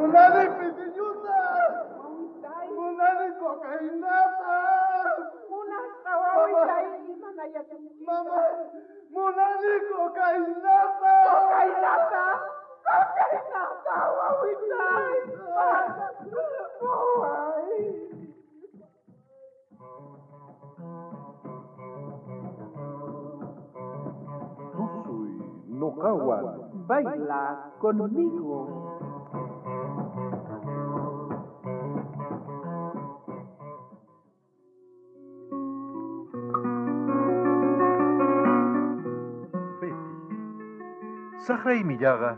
Munani pitiñuta. Munani cocainata. Munasqa wawitay, imana yachanki? Mama, munani cocainata. Cocainata. Cocainata, wawitay. Waway. Tusuy noqawan. Baila conmigo. Betty. Saqraymillaqa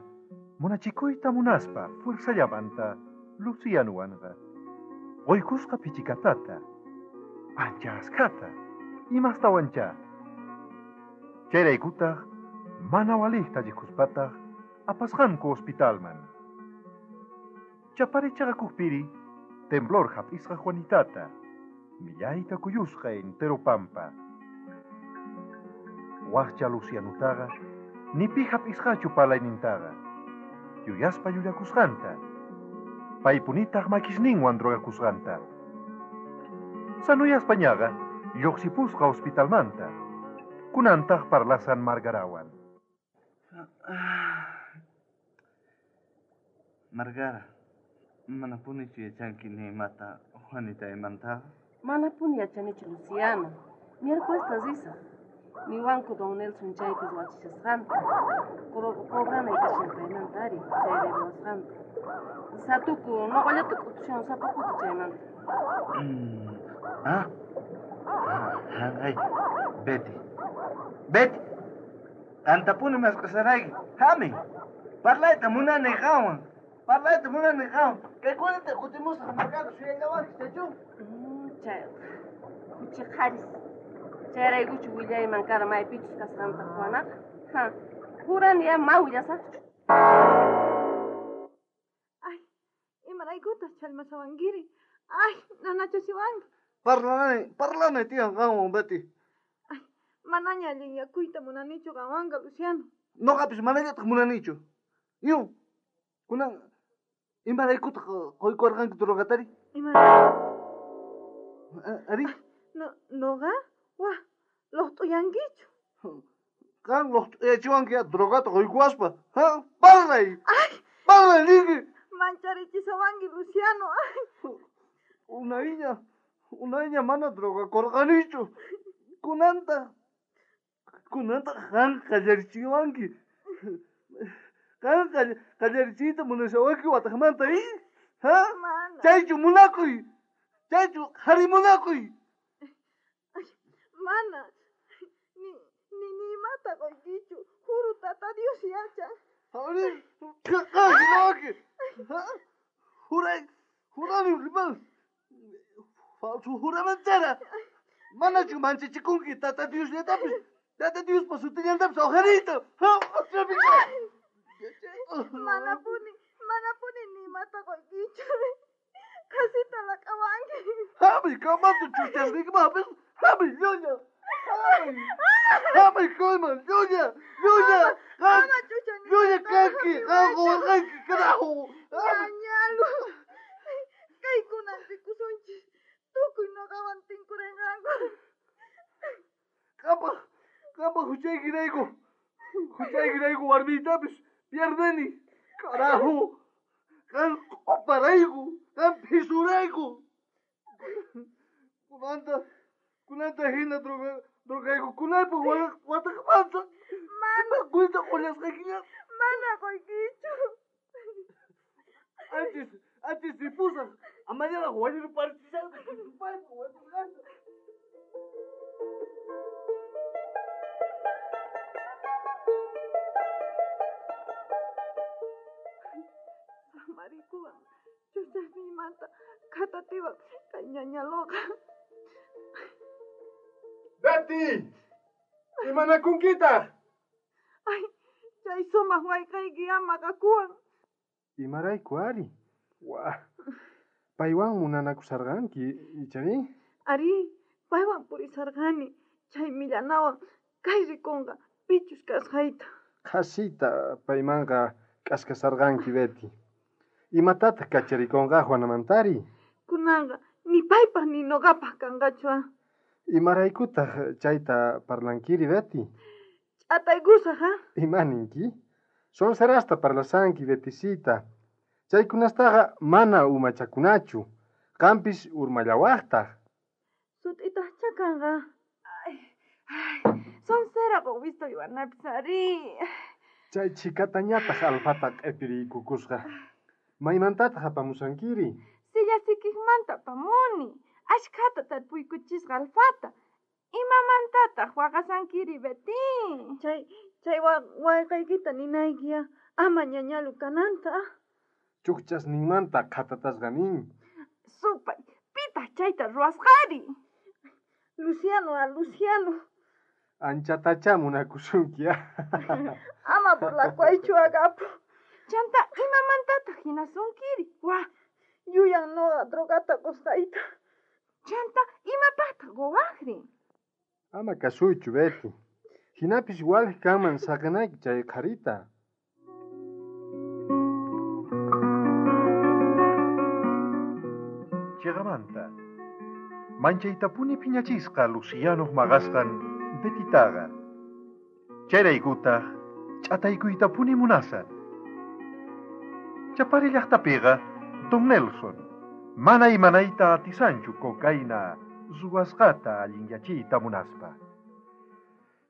munachikuyta munaspa fuerzallamanta Lucianuwanqa. Quykusqa pichikatata, ancha askhata, imastawanchá. Chayraykutaq mana waliqta lliqhuspataq apasqanku hospitalman. Chaparichaqakupiri temblor hap'isqa Juanitata, millayta kuyusqa entero pampa. Waqcha Lucianutaqa ni pi hap'isqachu parlaynintaqa, yuyaspa llullakusqanta, paypunitaq makisninwan drogakusqanta. Sanuyaspañaqa lluqsipusqa hospitalmanta, kunantaq parlasan Margarawan. Margara, manapunichu yachanki ni imata Juanitaymantaqa? Manapuni yachanichu, Luciano. Miércoles risaq. Niwanku don Nelson chaypi ruwachishasqanta. Cobranay kashan paymanta ari, chay ruwasqanta. Satuku, noqallata k'utushan sapa kuti chaymanta. Ah, ay, Betty. Betty, qantapuni mask'asharayki. Hami, parlayta munani qanwan. Parlayta munani qanwan. Kaykunata kutimusaq Margara suyallawanki, chaychu? Chay, khuchi qharis. Chayraykuchu willayman kara maypichus kasqanta Juanaqa. Ha, jurani ya ma willasaqchu. Ay, imaraykutaq challmasawankiri? Ay, nanachasiwanki. Parlanay tiyan qanwan, Betty. Ay, manaña allinyakuyta munanichu qanwanqa, Luciano. Noqapis manallataq munanichu. Yu, kunan imaraykutaq quykuwarqanki drogatari? Imarayku? Ari? No, noqa? Wah, loqt'uyankichu. Qan loqt'uyachiwanki ya drogata quykuwaspa. Ha? Parlay. Ay. Parlay niki. Mancharichisawanki, Luciano. Ay. Unayña mana drogakurqanichu. Kunanta qan qallarichiwanki. Qan qallarichiyta munashawanki wataqmanta, i? Ha? Mana. Chaychu munakuy. Chaychu qhari munakuy. Ay, mana. Ni imata quykichu. Juru tata Dios yachan. Ari, qan hinawanki. Ha? Juray, jurani riman. Falso juramentera. Manachu manchachikunki tata Diosllatapis. Tata Diospa sutillantapis uqhariyta. Ha, atrapika. Manapuni ni imata quykichu. Qasita laq'awanki. Hami, kamanta chuchasniykimapis. Hami, llulla. Hami. Hami, kayman, llulla, llulla. Ama chuchani. Llulla kanki, qan quwarqanki, carajo. Ñañalu. Kaykunan rikusunchis. Tukuy noqawan tinkurinqanku. Qampa huchaykirayku. Huchaykirayku warmiytapis pierdeni. Carajo. Qan q'oparayku, qan phisurayku. Kunanta hina drogaykukunaypaq wataqmanta. Mana. Kuyta qullasqaykiña. Mana quykichu. Antes ripusaq. Amañaraq wañurparichisaqta. Samarikuwan chuchasniymanta qhatatiwan kay ñañaluqa. Betty! Imanakunkitaq? Ay, chay sumaq wayqayki ama qakuwan. Imarayku ari? Wah. Paywan munanakusarqanki, ichari? Ari, paywan purisarqani. Chay millanawan kay rikunqa pichus kasqayta. Qhasita paymanqa k'askasarqanki, Betty. Imatataq kacharikunqa Juanamantari? Kunanqa ni paypaq ni noqapaq kanqachu. Imaraykutaq chayta parlankiri, Betty? Ch'ataykusaq, ha? Ima ninki? Sonserasta parlasanki, Bettisita. Chaykunastaqa mana umachakunachu. Qampis urmallawaqtaq. Sut'itaqchá kanqa. Ay, ay, sonsera qowista uywanapis ari. Chay chhikatañataq alfata q'ipiriykukusqa. Maymantataq apamusankiri? Silla sikikmanta apamuni. Ashkhata tarpuykuchisqa alfata. Imamantataq waqasankiri, Betty? Chay wayqaykita ninayki ama ñañalu kananta. Chukchasninmanta qhatatasqa nin. Supay, pitaq chayta ruwasqari? Luciano, a Luciano. Anchatachá munakusunki. Ama burlakuwaychu, agapo. Chanta, imamantataq hinasunkiri? Wa, yuyan noqa drogata qusqayta. Chanta, imapaqtaq quwaqri? Ama kasuychu, Betty. Hinapis walej kanman saqinayki chay qharita. Chiqamanta. Manchaytapuni phiñachisqa Lucianoq maqasqan Bettytaqa. Chayraykutaq ch'ataykuytapuni munasan. Chapari llaqtapiqa Don Nelson mana imanayta atisanchu cocaína ruwasqata allinyachiyta munaspa.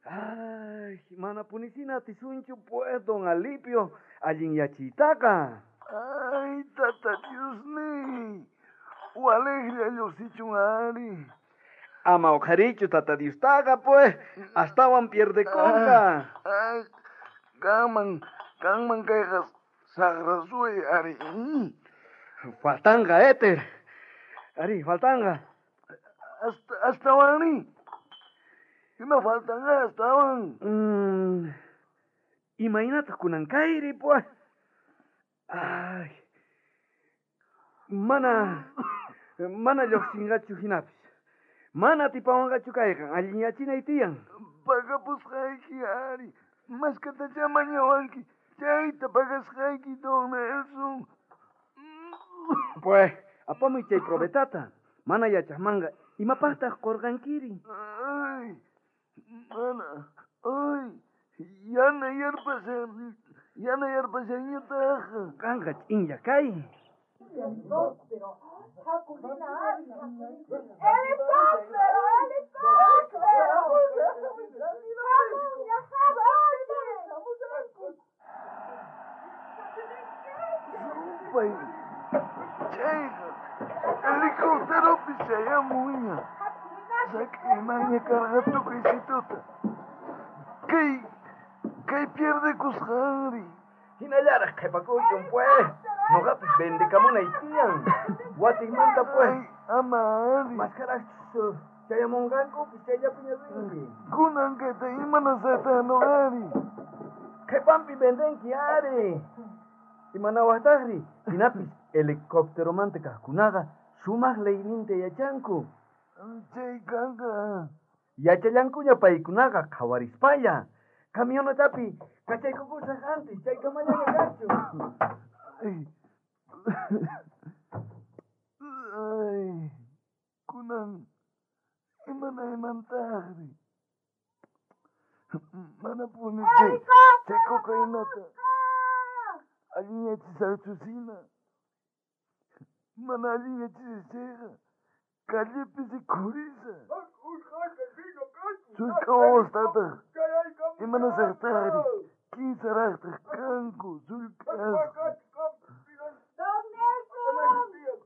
Ay, mana punisina atisunchu pues, don Alipio, allinyachiytaqa. Ay, tata Diosniy, walejlla lluqsichun ari. Ama uqharichu tata Diostaqa pues, astawan pierdekunqa. Ay, kanman kayqa saqra suway ari. Faltanqa, éter. Ari, faltanqa. Astawanri. Ima faltanqa astawan? Imaynataq kunan kayri, pues. Ay. Mana lluqsinqachu hinapis. Mana atipawanqachu kayqa, allinyachinay tiyan. Pagapusqayki ari. Maskatachá mañawanki. Chayta pagasqayki, don Nelson. Pues, apamuy chay probetata. Mana yachaqmanqa imapaqtaq qurqankiri? Ay, mana, ay, yana yarpashanñataq. Qanqa ch'inlla kay. ¡Helicóptero! ¡Helicóptero! Supay, chayqa, helicópteropi chayamunña. Sak'imanña karqa tukuysituta. Kay pierdekusqanri. Hinallaraq qhipakuchun pues. Noqapis vendekamunay tiyan. Watikmanta pues. Ama ari. Maskaraqchus chayamunqankupis chayllapiña rinki. Kunan kayta imanasayta noqari. Qhipanpi vendenki ari. Imanawaqtaqri? Hinapis helicópteromanta kaqkunaqa sumaq leyninta yachanku. Chay kanqa. Yachallankuña paykunaqa qhawarispalla. Camionetapi kachaykukusaq antes chaykamallaña kachu. Ay. Ay. Kunan imanaymantaqri. Manapuni chay cocainata allinyachisaqchusina. Mana allinyachisaq chayqa callepi rikhurisa. Sullk'a wawastataq imanasaqtaqri kinsaraqtaq kanku sullk'asqa.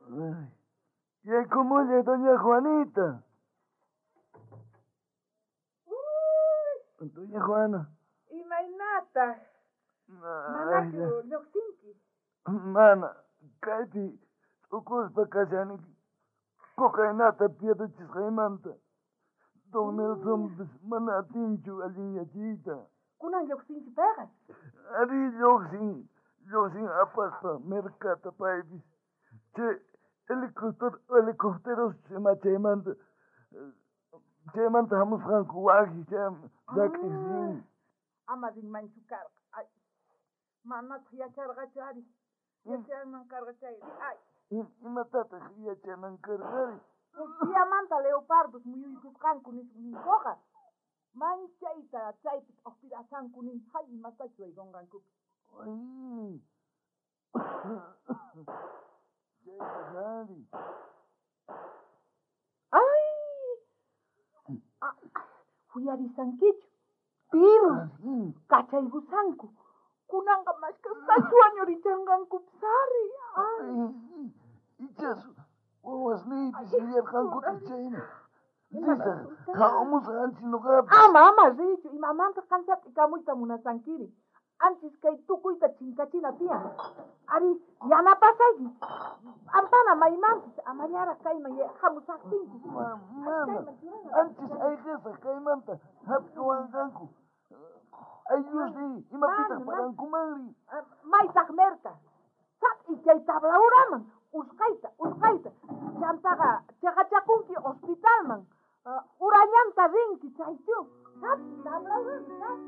Ay, yaykumullay doña Juanita. Doña Juana. Imaynataq? Manachu lluqsinki? Mana, kaypi t'ukuspa kashani cocainata pierdechisqaymanta. Don Nelsonpis mana atinchu allinyachiyta. Kunan lluqsinchu payqa? Ari lluqsin apaspa mercata paypis. Chay helicópteros ima chaymanta hamusqanku waki chay llak'isin. Ama rinmanchu karqa. Ay, manataq yacharqachu ari. Yachanman karqa chay. Ay. Imatataq yachanan karqari? Diamanta leopardos muyuykusqanku ninkoqa. Manchayta chaypi t'ojpirasanku nin hay imatachu waykunqankupis. Ay. Chaytaq ari. Ay. Uyarisankichu. Pirus kachaykusanku. Kunanqa mashkastachu wañurichanqankupis ari. Ay. Ichas wawasniypis yuyarqankutaq chayna. Risaq, hamusaq anchis noqapis. Ama, ama riychu, imamantaq qan sat'ikamuyta munasankiri. Anchis kay tukuyta chinkachina tiyan. Ari, yanapasayki. Ampana maymanpis, amallaraq kayman hamusaqtinku. Mana, anchis ayqesaq kaymanta hap'iwanqanku. Ayllusniy, imapitaq parankumanri? Maytaq merka. Sat'i chay tablauraman, usqayta, usqayta. Chantaqa chaqachakunki hospitalman. Urallanta rinki chaychu. Sat'i tablauraman.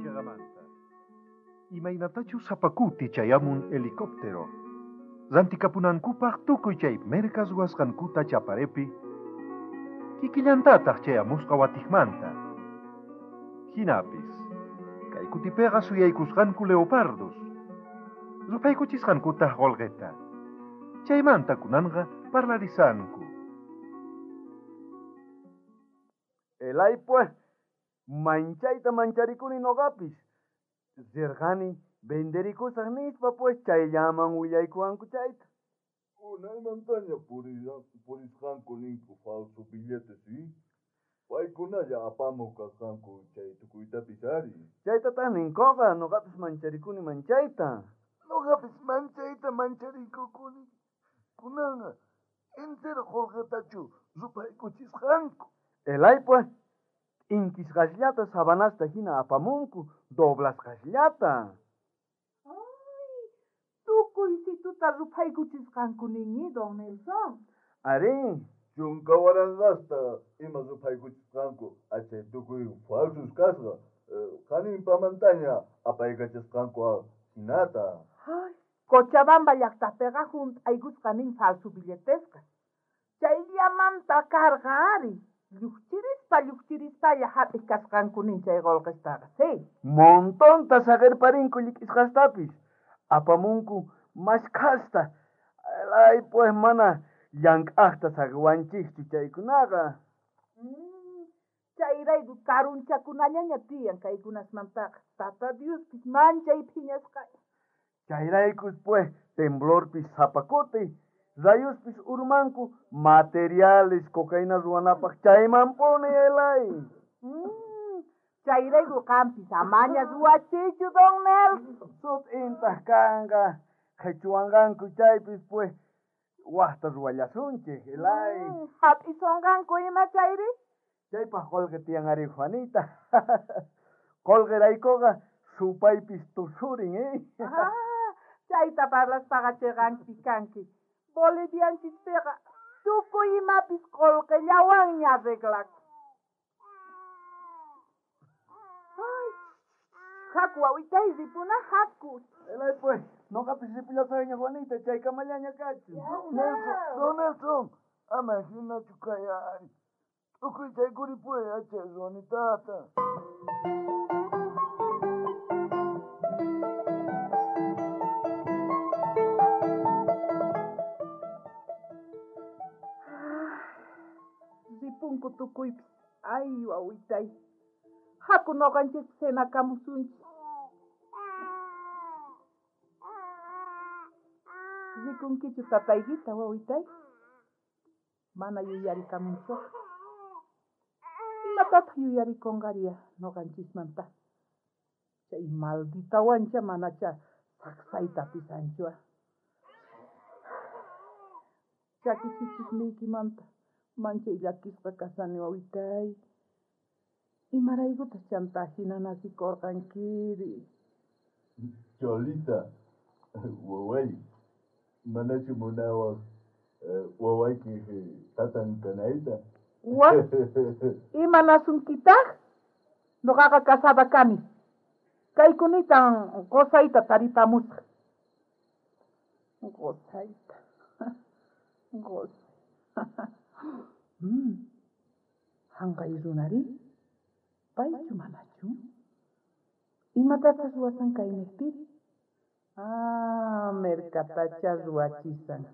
Cheqamanta. Imaynatachu sapakuti chayamun helicóptero. Rantikapunankupaq tukuy chay merkas ruwasqankuta chaparepi. Kikillantataq chayamusqa watiqmanta. Hinapis, kay kutipiqa suyaykusqanku leopardos. Rupaykuchisqankutaq qolqeta. Chaymanta kunanqa parlarisanku. Elay pues, manchayta mancharikuni noqapis. Rirqani venderikusaq nispa pues chayllaman willaykuwanku chayta. Unaymantaña purisqanku ninku falso billetes, ¿sí? Paykunalla apamuq kasqanku chay tukuytapis ari. Chaytataq ninkuqa, noqapis mancharikuni manchayta. Noqapis manchayta mancharikukuni. Kunanqa entero qolqetachu rupaykuchisqanku. Elay pues, inkisqasllata sabanasta hina apamunku, doblasqasllata. Ay, tukuy situta rupaykuchisqanku ninmi, don Nelson. Ari. Chunka waranqasta ima rupaykuchisqanku, achay tukuy falsos kasqa. Qaninpamantaña apaykachasqanku hinata. Ay, Cochabamba llaqtapiqa hunt'aykusqa nin falso billetesqa. Chayllamanta karqa ari. Lluqchirispa, lluqchirispalla hap'iq kasqanku nin chay qolqestaqa, sí. Montonta saqirparinku llik'isqastapis. Apamunku mashkhasta. Ay, pues mana llank'aqta saqiwanchikchu chaykunaqa. Chayrayku karunchakunallaña tiyan kaykunasmantaqa. Tata Diospis manchay phiñasqa. Chayraykus pues temblorpis sapakuti, rayuspis urmanku materiales cocaína ruwanapaq chaymanpuni elay. Chayrayku qampis amaña ruwachichu, don Nelson. Sut'intaq kanqa qhichwanqanku chaypis pues waqta ruwallasunchik, elay. Hap'isonqanku ima chayri? Chaypaq qolqe tiyan ari, Juanita. Qolqeraykuqa supaypis tusurin, eh? Chayta parlaspaqa chiqanki kanki. Bolivianchispiqa tukuy imapis qolqellawanña arreglakun. Ay, haku wawitay ripuna haku. Elay pues, noqapis ripullasayña Juanita, chaykamallaña kachun. Don Nelson, don Nelson, ama hinachu kay ari. Tukuy chaykuripuy achay Juanitata. Ripunku tukuypis. Ay, wawitay. Haku noqanchikpis cenakamusunchik. Rikunkichu tataykita, wawitay? Mana yuyarikamunchu. Imatataq yuyarikunqariya noqanchismanta? Chay malditawancha manacha saksayta atisanchua. Chakisichikniykimanta manchay llakisqa kasani, wawitay. Imaraykutaq chanta hina nasikurqankiri? Cholita, waway, manachu munawaq wawaykiq tatan kanayta? Wa, imanasunkitaq? Noqaqa casada kani. Kaykunitan qosayta taripamusaj. Qosayta. Qosay. Hanqay runari? Paychu manachu? Imatataq ruwasan kaynejpiri? Ah, merkatacha ruwachisan.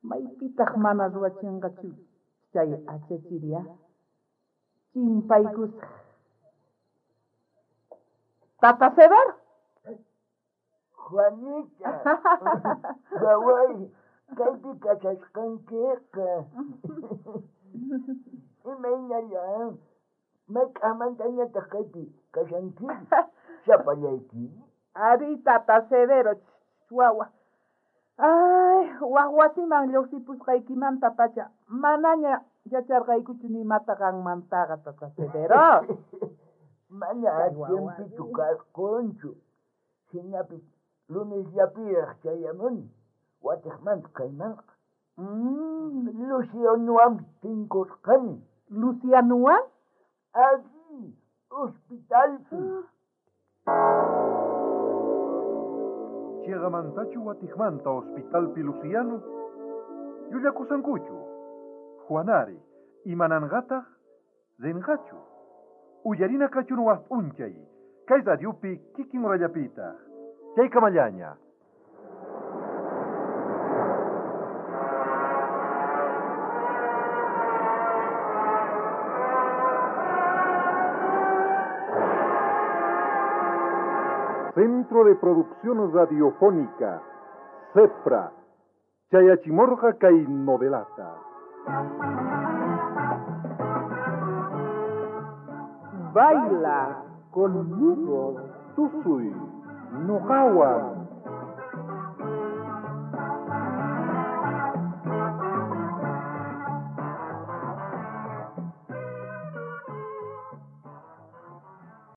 Maypitaq mana ruwachinqachu chay achachiri, ah? Chimpaykusaj. Tata Severo. Juanita, waway, kaypi kashasqankiqa. Imaynallan, mayk'amantañataq kaypi kashanki? Sapallayki? Ari, Tata Severo, wawa. Ay, waj wasiman lluqsipusqaykimantapacha manaña yacharqaykuchu ni imata qanmantaqa, Tata Severo. Mana tiempichu karqunchu. Jinapis lunesllapiraq chayamuni, watiqmanta kaymanqa. Lucianowan tinkurqani. Lucianowan? Ari, hospitalpi. Chiqamantachu watiqmanta hospitalpi Luciano? Llullakusankuchu. Juanari, imananqataq? Rinqachu. Uyarina kachun waj p'unchay. Kay radiopi kikin urallapitaq. Chaykamallaña. Centro de Producción Radiofónica, CEPRA, Chayachimorja kay novelata. Baila conmigo, tusuy, noqawan.